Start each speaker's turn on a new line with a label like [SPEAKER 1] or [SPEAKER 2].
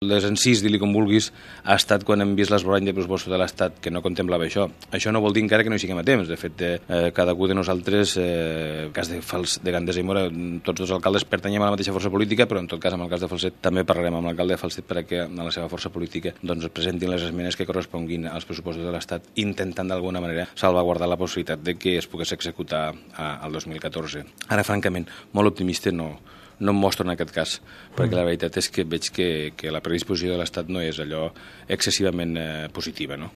[SPEAKER 1] Les encís, di-li com vulguis, ha estat quan hem vist l'esborrany de pressupostos de l'Estat que no contemplava això. Això no vol dir encara que no hi siguem a temps. De fet, cadascú de nosaltres, cas de Gandesa i Mora, tots dos alcaldes pertanyem a la mateixa força política, però en tot cas, en el cas de Falset, també parlarem amb l'alcalde de Falset perquè a la seva força política doncs, presentin les esmenes que corresponguin als pressupostos de l'Estat, intentant d'alguna manera salvaguardar la possibilitat de que es pogués executar al 2014. Ara, francament, molt optimista no em mostro en aquest cas, perquè la veritat és que veig que la predisposició de l'Estat no és allò excessivament positiva, no?